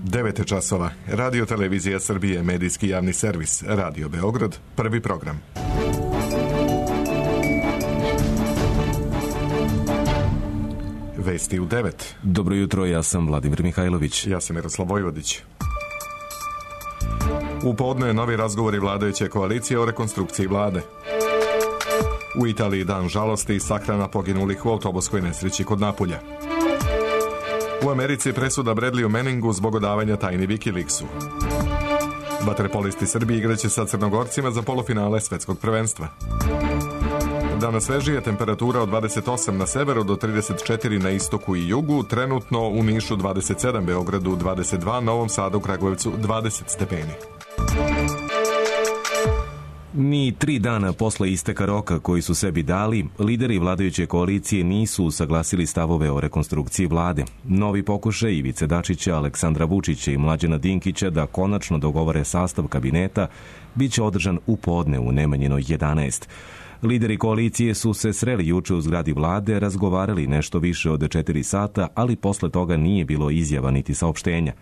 9 časova. Radio Televizija Srbije, medijski javni servis, Radio Beograd, prvi program. Vesti u 9. Dobro jutro, ja sam Vladimir Mihajlović. Ja sam Miroslav Vojvodić. U podne novi razgovori vladajuće koalicije o rekonstrukciji vlade. U Italiji dan žalosti i sahrana poginulih u autobuskoj nesreći kod Napulja. U Americi presuda Bradleyu Manningu zbog odavanja tajni Wikileaksu. Vaterpolisti Srbije igraće sa Crnogorcima za polufinale svetskog prvenstva. Danas svežije, temperatura od 28 na severu do 34 na istoku i jugu, trenutno u Nišu 27, Beogradu 22, Novom Sadu, Kragujevcu 20 stepeni. Ni 3 dana posle isteka roka koji su sebi dali, lideri vladajuće koalicije nisu usaglasili stavove o rekonstrukciji vlade. Novi pokušaj Ivice Dačića, Aleksandra Vučića i Mlađana Dinkića da konačno dogovore sastav kabineta biće održan u podne u Nemanjinoj 11. Lideri koalicije su se sreli juče u zgradi vlade, razgovarali nešto više od 4 sata, ali posle toga nije bilo izjava niti saopštenja.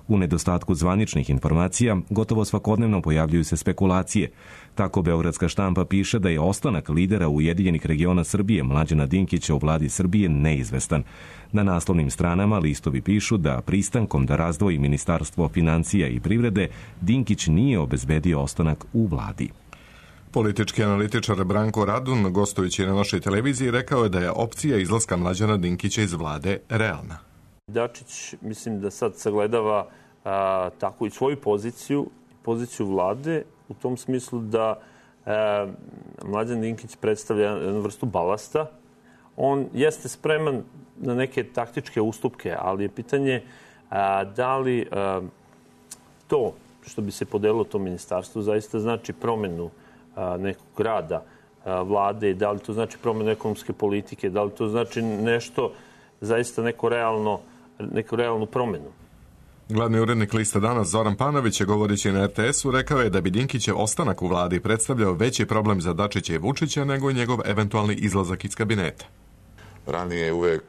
U nedostatku zvaničnih informacija, gotovo svakodnevno pojavljuju se spekulacije. Tako beogradska štampa piše da je ostanak lidera Ujedinjenih regiona Srbije Mlađana Dinkića u vladi Srbije neizvestan. Na naslovnim stranama listovi pišu da pristankom da razdvoji Ministarstvo financija i privrede, Dinkić nije obezbedio ostanak u vladi. Politički analitičar Branko Radun, gostujući na našoj televiziji, rekao je da je opcija izlaska Mlađana Dinkića iz vlade realna. Dačić, mislim da sad sagledava tako i svoju poziciju vlade, u tom smislu da Mlađan Dinkić predstavlja jednu vrstu balasta. On jeste spreman na neke taktičke ustupke, ali je pitanje da li to što bi se podelilo to ministarstvo zaista znači promenu nekog rada vlade, da li to znači promenu ekonomske politike, da li to znači nešto, zaista neku realnu promenu. Glavni urednik lista Danas Zoran Panović je govoreći na RTS-u rekao je da bi Dinkićev ostanak u vladi predstavljao veći problem za Dačića i Vučića nego njegov eventualni izlazak iz kabineta. Ranije je uvek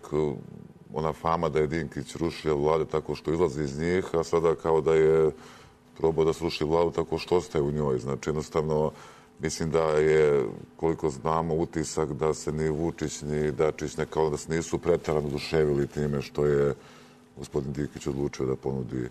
ona fama da je Dinkić rušio vlade tako što izlazi iz njih, a sada kao da je probao da sruši vladu tako što ostaje u njoj. Znači jednostavno mislim da je, koliko znamo, utisak da se ni Vučić ni Dačić nekao da se nisu preterano oduševili time što je gospodin Dinkić odlučio da ponudi.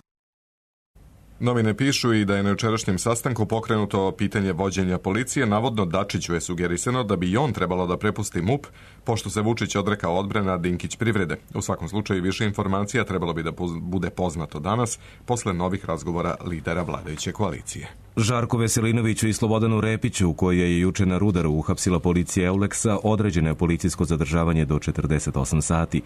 Novine pišu i da je na jučerašnjem sastanku pokrenuto pitanje vođenja policije. Navodno Dačiću je sugerisano da bi i on trebalo da prepusti MUP, pošto se Vučić odrekao odbrane, a Dinkić privrede. U svakom slučaju više informacija trebalo bi da bude poznato danas, posle novih razgovora lidera vladajuće koalicije. Žarku Veselinoviću i Slobodanu Repiću, koje je juče na Rudaru uhapsila policija Euleksa, određeno je policijsko zadržavanje do 48 sati.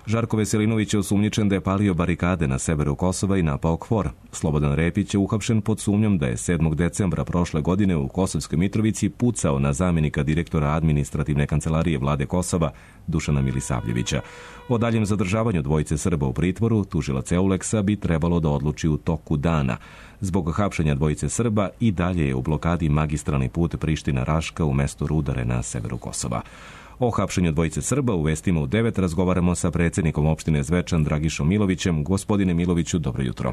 Žarko Veselinović je osumnjičen da je palio barikade na severu Kosova i napao KFOR. Slobodan Repić je uhapšen pod sumnjom da je 7. decembra prošle godine u Kosovskoj Mitrovici pucao na zamjenika direktora administrativne kancelarije vlade Kosova Dušana Milisavljevića. O daljem zadržavanju dvojice Srba u pritvoru tužilac Euleksa bi trebalo da odluči u toku dana. Zbog hapšenja dvojice Srba i dalje je u blokadi magistralni put Priština-Raška u mestu Rudare na severu Kosova. O hapšenju dvojice Srba u vestima u 9 razgovaramo sa predsjednikom opštine Zvečan Dragišom Milovićem. Gospodine Miloviću, dobro jutro.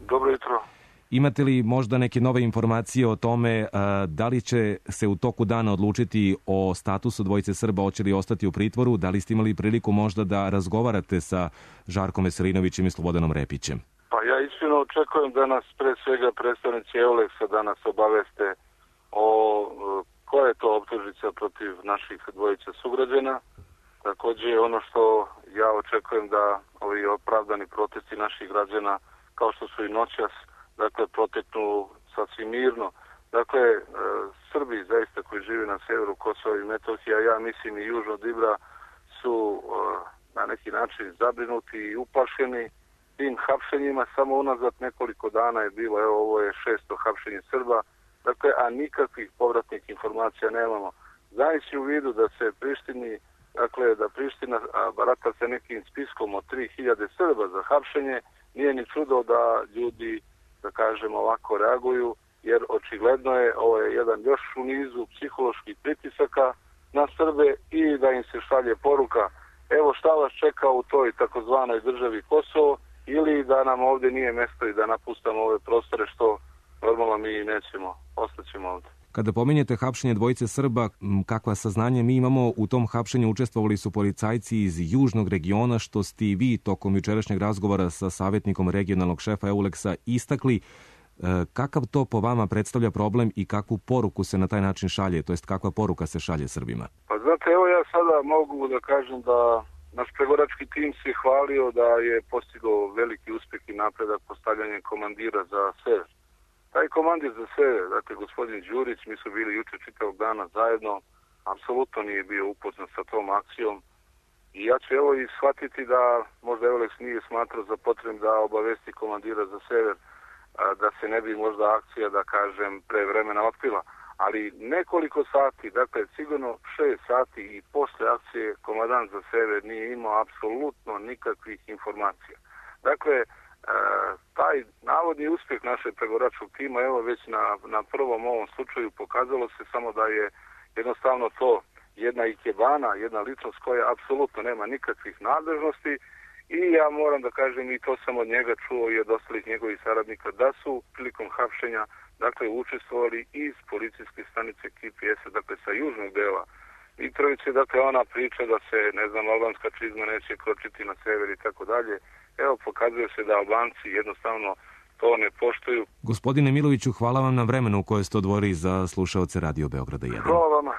Dobro jutro. Imate li možda neke nove informacije o tome da li će se u toku dana odlučiti o statusu dvojice Srba, hoće li ostati u pritvoru? Da li ste imali priliku možda da razgovarate sa Žarkom Veselinovićem i Slobodanom Repićem? Pa ja iskreno očekujem da nas pre svega predstavnici Euleksa danas obaveste o koja je to optužnica protiv naših dvojica sugrađana. Također ono što ja očekujem da ovi opravdani protesti naših građana, kao što su i noćas, dakle, proteknu sasvim mirno. Dakle, Srbi zaista koji žive na severu Kosova i Metohije, a ja mislim i južno od Ibra, su na neki način zabrinuti i uplašeni tim hapšenjima. Samo unazad nekoliko dana je bilo, evo ovo je 6. hapšenje Srba, dakle, a nikakvih povratnih informacija nemamo. Znajući u vidu da se Prištini, dakle, da Priština barata sa nekim spiskom od 3000 Srba za hapšenje, nije ni čudo da ljudi, da kažem, ovako reaguju, jer očigledno je ovo je jedan još u nizu psiholoških pritisaka na Srbe i da im se šalje poruka, evo šta vas čeka u toj takozvanoj državi Kosovo ili da nam ovdje nije mjesto i da napustamo ove prostore, što normalno mi nećemo, ostaćemo ovdje. Kada pominjete hapšenje dvojice Srba, kakva saznanje mi imamo, u tom hapšenju učestvovali su policajci iz južnog regiona, što ste i vi tokom jučerašnjeg razgovora sa savjetnikom regionalnog šefa EULEX-a istakli. Kakav to po vama predstavlja problem i kakvu poruku se na taj način šalje, to jest kakva poruka se šalje Srbima? Pa znate, evo ja sada mogu da kažem da naš pregovarački tim se hvalio da je postigao veliki uspjeh i napredak postavljanjem komandira za sever. Taj komandir za sever, dakle gospodin Đurić, mi su bili juče čitavog dana zajedno, apsolutno nije bio upoznat sa tom akcijom. I ja ću evo i shvatiti da možda EULEX nije smatrao za potrebno da obavesti komandira za sever, da se ne bi možda akcija, da kažem, pre vremena otkrila. Ali nekoliko sati, dakle sigurno 6 sati i posle akcije komandant za sever nije imao apsolutno nikakvih informacija. Dakle, taj navodni uspjeh našeg pregovaračkog tima, evo već na prvom ovom slučaju pokazalo se samo da je jednostavno to jedna ikebana, jedna ličnost koja apsolutno nema nikakvih nadležnosti i ja moram da kažem, i to sam od njega čuo i od ostalih njegovih saradnika, da su prilikom hapšenja dakle učestvovali iz policijske stanice KPS-a, dakle sa južnog dela Mitrovice, dakle ona priča da se, ne znam, albanska čizma neće kročiti na sever i tako dalje. Evo, pokazuje se da Albanci jednostavno to ne poštuju. Gospodine Miloviću, hvala vam na vremenu koje ste odvojili za slušaoce Radio Beograda 1. Hvala vama.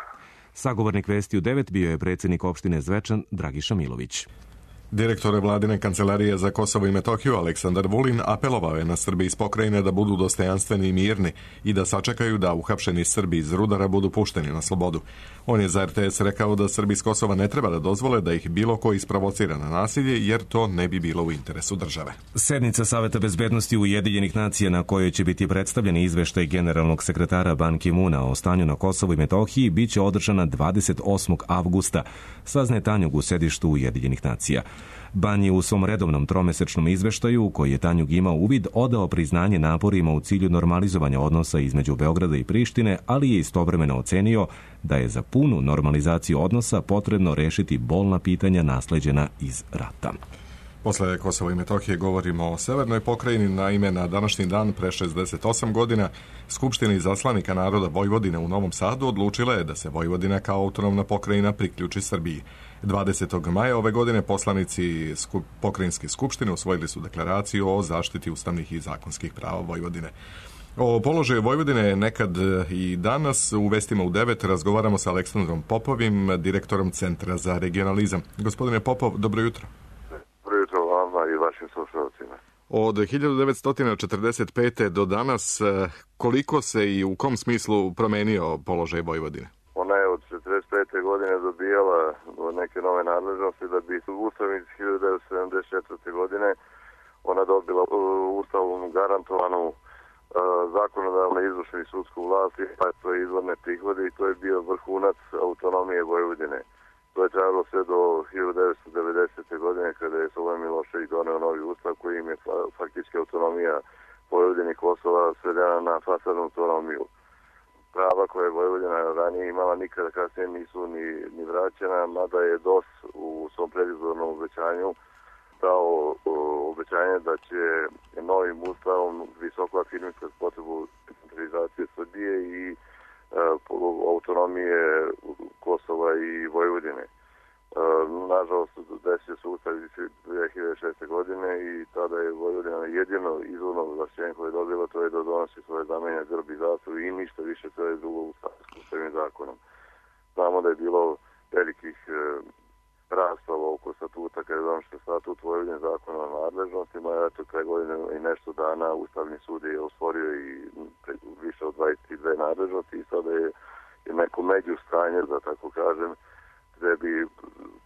Sagovornik Vesti u 9 bio je predsjednik opštine Zvečan Dragiša Milović. Direktor Vladine kancelarije za Kosovo i Metohiju Aleksandar Vulin apelovao je na Srbi iz pokrajine da budu dostojanstveni i mirni i da sačekaju da uhapšeni Srbi iz Rudara budu pušteni na slobodu. On je za RTS rekao da Srbi iz Kosova ne treba da dozvole da ih bilo ko isprovocira na nasilje, jer to ne bi bilo u interesu države. Sednica Saveta bezbednosti Ujedinjenih nacija na kojoj će biti predstavljen izveštaj generalnog sekretara Ban Ki-moona o stanju na Kosovu i Metohiji biće održana 28. avgusta, saznaje Tanjug u sedištu Ujedinjenih nacija. Ban je u svom redovnom tromesečnom izveštaju, u koji je Tanjug imao uvid, odao priznanje naporima u cilju normalizovanja odnosa između Beograda i Prištine, ali je istovremeno ocenio da je za punu normalizaciju odnosa potrebno rešiti bolna pitanja nasleđena iz rata. Posle Kosova i Metohije govorimo o severnoj pokrajini. Naime, na današnji dan pre 68 godina Skupština izaslanika naroda Vojvodine u Novom Sadu odlučila je da se Vojvodina kao autonomna pokrajina priključi Srbiji. 20. maja ove godine poslanici pokrajinske skupštine usvojili su deklaraciju o zaštiti ustavnih i zakonskih prava Vojvodine. O položaju Vojvodine nekad i danas u Vestima u 9 razgovaramo sa Aleksandrom Popovim, direktorom Centra za regionalizam. Gospodine Popov, dobro jutro. Dobro jutro vama i vašim slušalcima. Od 1945. do danas koliko se i u kom smislu promenio položaj Vojvodine? Ona je od 1945. godine dobijala neke nove nadležnosti da bi u Ustavu iz 1974. godine ona dobila Ustavom garantovanu zakonodavnu, izvršnu i sudsku vlast i to je izvorne prihode i to je bio vrhunac autonomije Vojvodine. To je trajalo sve do 1990. godine kada je Slobodan Milošević doneo novi ustav koji im je faktički autonomija Vojvodine i Kosova svedena na fasadnu autonomiju. Prava koje je Vojvodina ranije imala nikada kasnije nisu ni vraćena, mada je DOS u svom predizbornom obećanju dao obećanje da će novim ustavom visoko afirmisati potrebu centralizacije Srbije i autonomije Kosova i Vojvodine. Nažalost, desio se ustav iz 2006. godine i tada je Vojvodina jedino izvorno ovlašćenje koje je dobila, to je da donosi svoje znamenja, grb i zastavu i ništa više, to je drugo ustavnim zakonom. Znamo da je bilo velikih rasprava oko statuta, kada je donošen statut Vojvodine zakona o nadležnostima, eto kraj godine i nešto dana Ustavni sud je osporio i više od 22 nadležnosti i sada je neko među stanje, da tako kažem, gde bi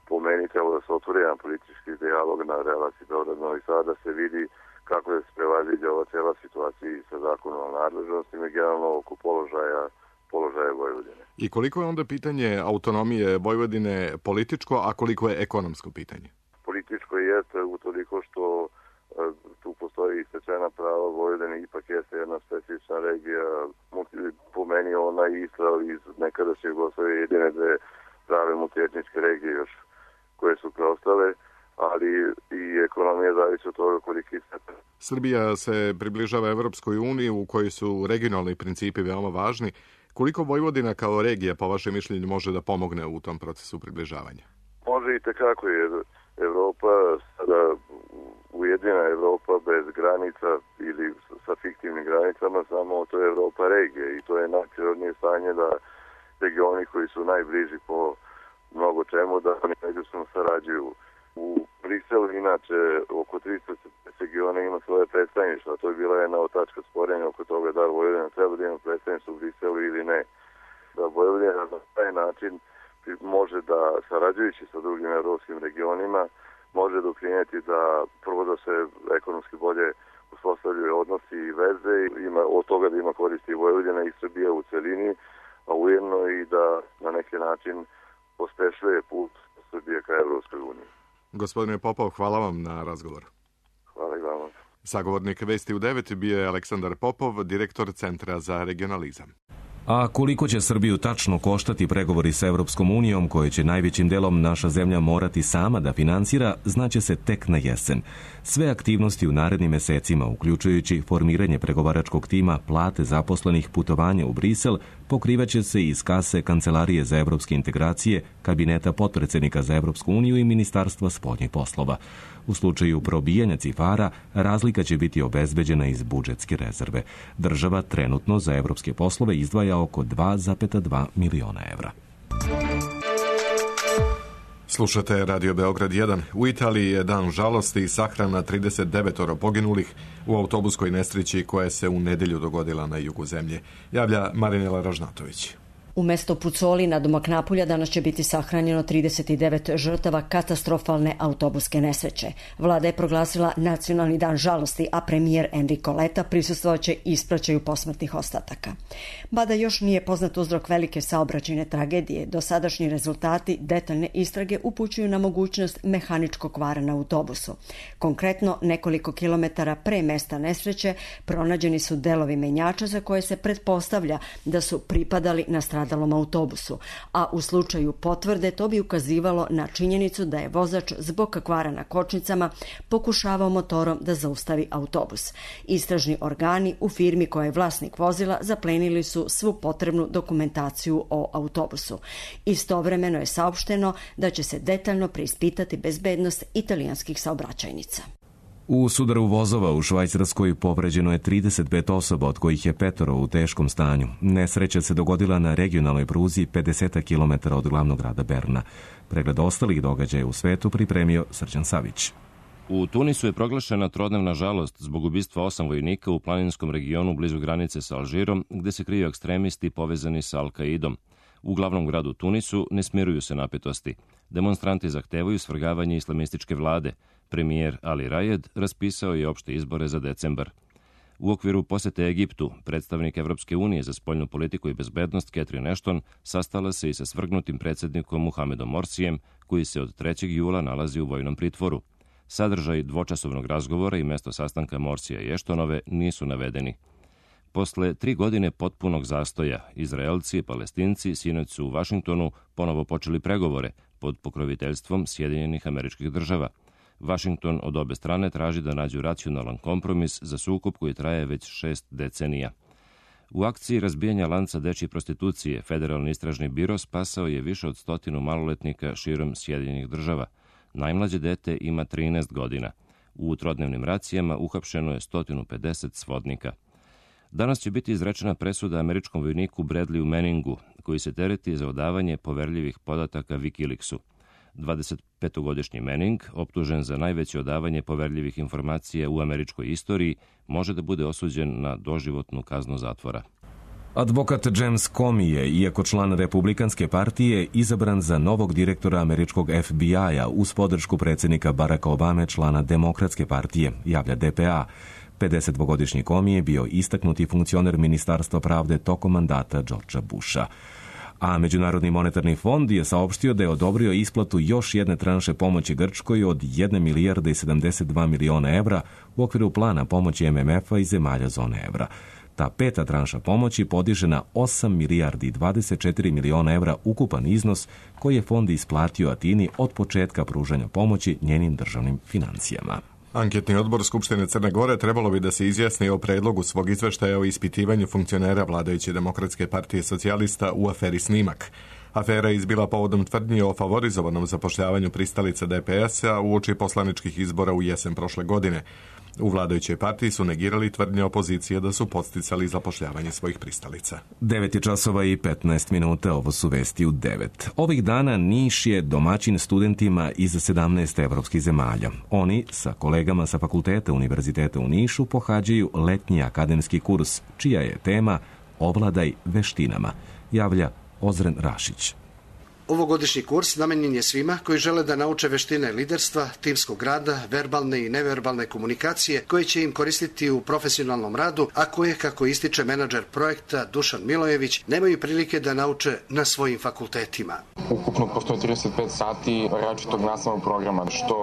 po meni trebalo da se otvori jedan politički dijalog na relaciji Beograd-Novi Sad, da se vidi kako je se prevaziđa ova cijela situacija sa zakonom o nadležnostima i generalno oko položaja Vojvodine. I koliko je onda pitanje autonomije Vojvodine političko, a koliko je ekonomsko pitanje? Političko jeste utoliko što tu postoji stečena prava Vojvodine, ipak jeste jedna specifična regija, po meni ona i Israel iz nekadašnje Jugoslavije jedine dve prave multietničke regije još koje su preostale. ali i ekonomija zavisi od toga koliki ste. Srbija se približava Evropskoj uniji u kojoj su regionalni principi veoma važni. Koliko Vojvodina kao regija, po vašem mišljenju, može da pomogne u tom procesu približavanja? Može i tekako, jer Evropa, sada ujedinjena Evropa bez granica ili sa fiktivnim granicama, samo to je Evropa regije i to je najprirodnije stanje da regioni koji su najbliži po mnogo čemu da oni međusobno sarađuju. U Briselu inače oko 300 regiona ima svoje predstavništva. To je bila jedna od tačka sporenja oko toga da Vojvodina treba da ima predstavništvo u Briselu ili ne. Da Vojvodina na taj način može da, sarađujući sa drugim evropskim regionima, može doprinijeti da prvo da se ekonomski bolje uspostavljaju odnosi i veze, ima od toga da ima koristi i Vojvodina i Srbija u celini, a ujedno i da na neki način pospešuje put Srbije ka Evropskoj uniji. Gospodine Popov, hvala vam na razgovoru. Hvala i vama. Sagovornik Vesti u 9 bio je Aleksandar Popov, direktor Centra za regionalizam. A koliko će Srbiju tačno koštati pregovori sa Evropskom unijom, koje će najvećim delom naša zemlja morati sama da finansira, znaće se tek na jesen. Sve aktivnosti u narednim mesecima, uključujući formiranje pregovaračkog tima, plate zaposlenih, putovanja u Brisel, pokrivaće se iz kase Kancelarije za evropske integracije, kabineta potpredsednika za Evropsku uniju i Ministarstva spoljnih poslova. U slučaju probijanja cifara, razlika će biti obezbeđena iz budžetske rezerve. Država trenutno za evropske poslove izdvaja oko 2,2 miliona evra. Slušate Radio Beograd 1. U Italiji je dan žalosti i sahrana 39 poginulih u autobuskoj nesreći koja se u nedelju dogodila na jugu zemlje. Javlja Marinela Ražnatović. U mesto Pucoli na domak Napulja danas će biti sahranjeno 39 žrtava katastrofalne autobuske nesreće. Vlada je proglasila nacionalni dan žalosti, a premijer Enrico Letta prisustvovaće ispraćaju posmrtnih ostataka. Mada još nije poznat uzrok velike saobraćajne tragedije, dosadašnji rezultati detaljne istrage upućuju na mogućnost mehaničkog kvara na autobusu. Konkretno, nekoliko kilometara pre mesta nesreće pronađeni su delovi menjača za koje se pretpostavlja da su pripadali na stradalom autobusu, a u slučaju potvrde to bi ukazivalo na činjenicu da je vozač zbog kvara na kočnicama pokušavao motorom da zaustavi autobus. Istražni organi u firmi koja je vlasnik vozila zaplenili su svu potrebnu dokumentaciju o autobusu. Istovremeno je saopšteno da će se detaljno preispitati bezbednost italijanskih saobraćajnica. U sudaru vozova u Švajcarskoj povređeno je 35 osoba, od kojih je 5 u teškom stanju. Nesreća se dogodila na regionalnoj pruzi 50 km od glavnog grada Berna. Pregled ostalih događaja u svetu pripremio Srđan Savić. U Tunisu je proglašena trodnevna žalost zbog ubistva 8 vojnika u planinskom regionu blizu granice sa Alžirom, gde se kriju ekstremisti povezani sa Al-Kaidom. U glavnom gradu Tunisu ne smiruju se napetosti. Demonstranti zahtevaju svrgavanje islamističke vlade. Premijer Ali Rajed raspisao je opšte izbore za decembar. U okviru posete Egiptu, predstavnik Evropske unije za spoljnu politiku i bezbednost Catherine Ashton sastala se i sa svrgnutim predsjednikom Muhamedom Morsijem, koji se od 3. jula nalazi u vojnom pritvoru. Sadržaj dvočasovnog razgovora i mesto sastanka Morsija i Ashtonove nisu navedeni. Posle 3 godine potpunog zastoja, Izraelci i Palestinci sinoć su u Vašingtonu ponovo počeli pregovore pod pokroviteljstvom Sjedinjenih Američkih Država. Vašington od obe strane traži da nađu racionalan kompromis za sukob koji traje već 6 decenija. U akciji razbijanja lanca dečje prostitucije Federalni istražni biro spasao je više od 100 maloletnika širom Sjedinjenih Država. Najmlađe dete ima 13 godina. U trodnevnim racijama uhapšeno je 150 svodnika. Danas će biti izrečena presuda američkom vojniku Bradleyu Manningu, koji se tereti za odavanje poverljivih podataka Wikileaksu. 25-godišnji Manning, optužen za najveće odavanje poverljivih informacija u američkoj istoriji, može da bude osuđen na doživotnu kaznu zatvora. Advokat James Comey je, iako član Republikanske partije, izabran za novog direktora američkog FBI-a uz podršku predsjednika Baracka Obame, člana Demokratske partije, javlja DPA. 52-godišnji Comey je bio istaknuti funkcioner Ministarstva pravde tokom mandata Georgea Busha. A Međunarodni monetarni fond je saopštio da je odobrio isplatu još jedne tranše pomoći Grčkoj od 1 milijarda i 72 miliona evra u okviru plana pomoći MMF-a i zemalja zone evra. Ta 5. tranša pomoći podiže na 8 milijardi 24 miliona evra ukupan iznos koji je fond isplatio Atini od početka pružanja pomoći njenim državnim financijama. Anketni odbor Skupštine Crne Gore trebalo bi da se izjasni o predlogu svog izveštaja o ispitivanju funkcionera vladajuće Demokratske partije socijalista u aferi Snimak. Afera je izbila povodom tvrdnji o favorizovanom zapošljavanju pristalica DPS-a uoči poslaničkih izbora u jesen prošle godine. U vladajućoj partiji su negirali tvrdnje opozicije da su podsticali zapošljavanje svojih pristalica. 9:15, ovo su vesti u 9. Ovih dana Niš je domaćin studentima iz 17 evropskih zemalja. Oni sa kolegama sa fakulteta Univerziteta u Nišu pohađaju letnji akademski kurs, čija je tema Ovladaj veštinama, javlja Ozren Rašić. Ovogodišnji kurs namenjen je svima koji žele da nauče veštine liderstva, timskog rada, verbalne i neverbalne komunikacije koje će im koristiti u profesionalnom radu, a koje, kako ističe menadžer projekta Dušan Milojević, nemaju prilike da nauče na svojim fakultetima. Ukupno postoje 35 sati različitog nastavnog programa, što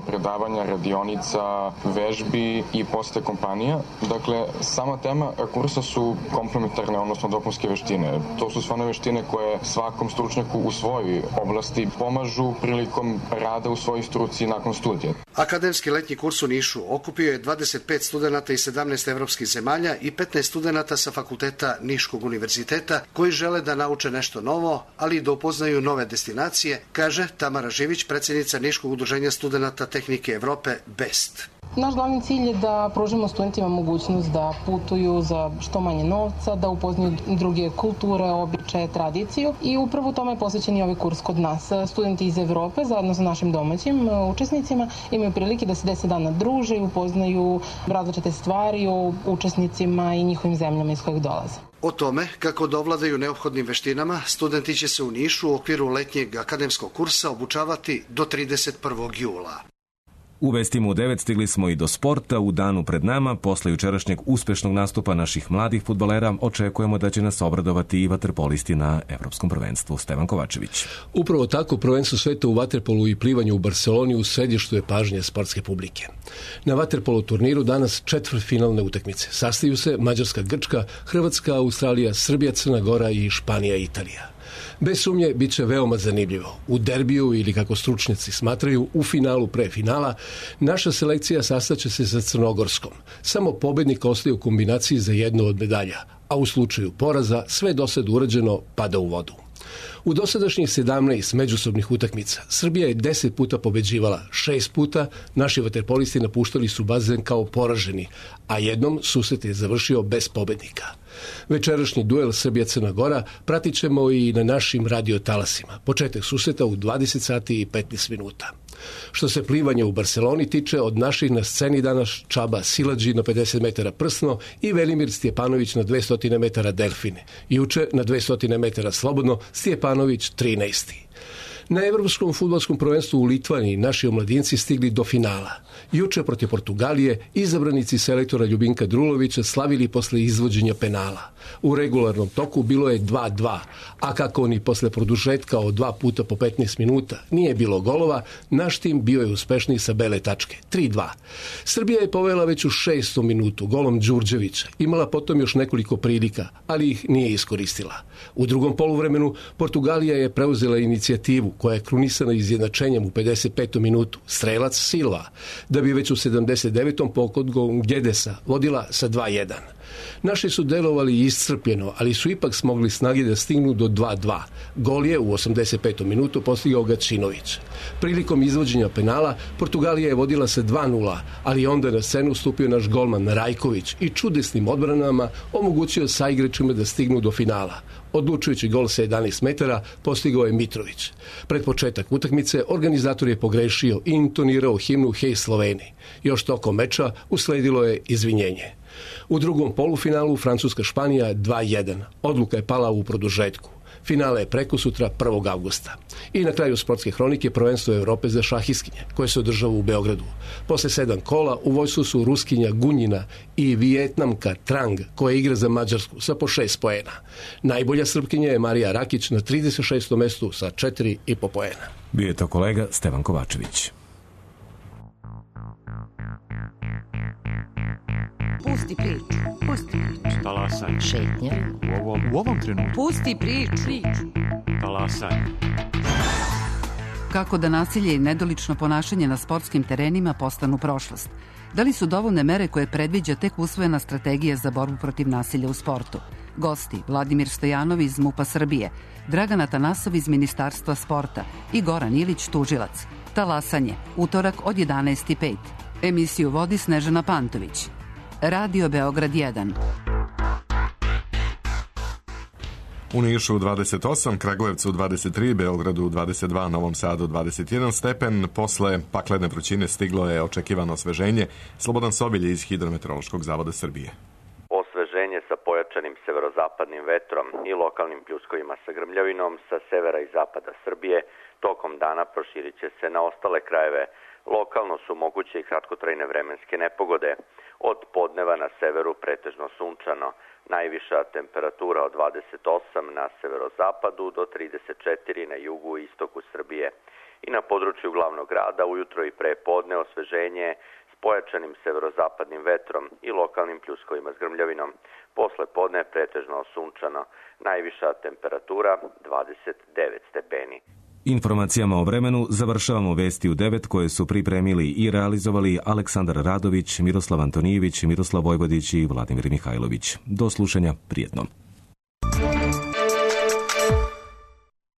predavanja, radionica, vežbi i poste kompanija. Dakle, sama tema kursa su komplementarne, odnosno dopunske veštine. To su sve one veštine koje svakom stručnjaku u svojoj oblasti pomažu prilikom rada u svojoj struci nakon studija. Akademski letnji kurs u Nišu okupio je 25 studenata iz 17 evropskih zemalja i 15 studenata sa fakulteta Niškog univerziteta koji žele da nauče nešto novo, ali i da upoznaju nove destinacije, kaže Tamara Živić, predsjednica Niškog udruženja studenata tehnike Evrope BEST. Naš glavni cilj je da pružimo studentima mogućnost da putuju za što manje novca, da upoznaju druge kulture, običaje, tradiciju i upravo tome je posvećen i ovaj kurs kod nas. Studenti iz Evrope zajedno sa našim domaćim učesnicima imaju prilike da se 10 dana druže i upoznaju različite stvari o učesnicima i njihovim zemljama iz kojih dolaze. O tome kako da ovladaju neophodnim veštinama, studenti će se u Nišu u okviru letnjeg akademskog kursa obučavati do 31. jula. U vestima u 9 stigli smo i do sporta. U danu pred nama, posle jučerašnjeg uspešnog nastupa naših mladih fudbalera, očekujemo da će nas obradovati i vaterpolisti na Evropskom prvenstvu. Stevan Kovačević. Upravo tako, prvenstvo sveta u vaterpolu i plivanju u Barseloni u središtu je pažnje sportske publike. Na vaterpolu turniru danas četvrtfinalne utakmice. Sastaju se Mađarska, Grčka, Hrvatska, Australija, Srbija, Crna Gora i Španija, Italija. Bez sumnje, bit će veoma zanimljivo. U derbiju ili, kako stručnjaci smatraju, u finalu pre finala, naša selekcija sastaće se sa Crnogorskom. Samo pobednik ostaje u kombinaciji za jednu od medalja, a u slučaju poraza sve dosad urađeno pada u vodu. U dosadašnjih 17 međusobnih utakmica Srbija je 10 puta pobeđivala, 6 puta naši vaterpolisti napuštali su bazen kao poraženi, a jednom susret je završio bez pobednika. Večerašnji duel Srbija-Crna Gora pratit ćemo i na našim radiotalasima. Početak susreta u 20 sati i 15 minuta. Što se plivanja u Barseloni tiče, od naših na sceni danas Čaba Siladži na 50 metara prsno i Velimir Stjepanović na 200 metara delfine. Juče na 200 metara slobodno Stjepanović 13. Na Evropskom fudbalskom prvenstvu u Litvaniji naši omladinci stigli do finala. Juče protiv Portugalije izabranici selektora Ljubinka Drulovića slavili posle izvođenja penala. U regularnom toku bilo je 2-2, a kako ni posle produžetka od 2 puta po 15 minuta nije bilo golova, naš tim bio je uspešniji sa bele tačke, 3-2. Srbija je povela već u 6. minutu golom Đurđevića, imala potom još nekoliko prilika, ali ih nije iskoristila. U drugom poluvremenu Portugalija je preuzela inicijativu koja je krunisana izjednačenjem u 55. minutu, strelac Silva, da bi već u 79. pogodom Gedesa vodila sa 2-1. Naši su delovali iscrpljeno, ali su ipak smogli snage da stignu do 2-2. Gol je u 85. minutu postigao Gačinović. Prilikom izvođenja penala Portugalija je vodila sa 2-0, ali onda na scenu stupio naš golman Rajković i čudesnim odbranama omogućio saigračima da stignu do finala. Odlučujući gol sa 11 metara postigao je Mitrović. Pred početak utakmice organizator je pogrešio i intonirao himnu Hej Sloveni. Još tokom meča usledilo je izvinjenje. U drugom polufinalu Francuska-Španija 2-1. Odluka je pala u produžetku. Finale je prekosutra 1. avgusta. I na kraju sportske hronike prvenstvo Evrope za šahistkinje, koje se održava u Beogradu. Posle 7 kola u vojstvu su Ruskinja Gunjina i Vijetnamka Trang, koja igra za Mađarsku sa po 6 poena. Najbolja Srpkinja je Marija Rakić na 36. mestu sa 4,5 poena. Bio je to kolega Stevan Kovačević. Pusti priču. Pusti priču. Talasaj. Šetnja. U ovom trenutku. Pusti priču. Talasaj. Kako da nasilje i nedolično ponašanje na sportskim terenima postanu prošlost? Da li su dovoljne mere koje predviđa tek usvojena strategija za borbu protiv nasilja u sportu? Gosti Vladimir Stojanov iz MUP-a Srbije, Dragan Atanasov iz Ministarstva sporta i Goran Ilić, tužilac. Talasanje, utorak od 11:05. Emisiju vodi Snežana Pantović. Radio Beograd 1. U Nišu 28, Kragujevcu 23, Beogradu 22, Novom Sadu 21 stepen. Posle paklene vrućine stiglo je očekivano osveženje. Slobodan Sobilj iz Hidrometeorološkog zavoda Srbije. Osveženje sa pojačanim severozapadnim vetrom i lokalnim pljuskovima sa grmljavinom sa severa i zapada Srbije tokom dana proširit će se na ostale krajeve. Lokalno su moguće i kratkotrajne vremenske nepogode. Od podneva na severu pretežno sunčano. Najviša temperatura od 28 na severozapadu do 34 na jugu i istoku Srbije. I na području glavnog grada ujutro i pre podne osveženje s pojačanim severozapadnim vetrom i lokalnim pljuskovima s grmljavinom. Posle podne pretežno sunčano. Najviša temperatura 29 stepeni. Informacijama o vremenu završavamo vesti u 9 koje su pripremili i realizovali Aleksandar Radović, Miroslav Antonijević, Miroslav Vojvodić i Vladimir Mihajlović. Do slušanja, prijetno.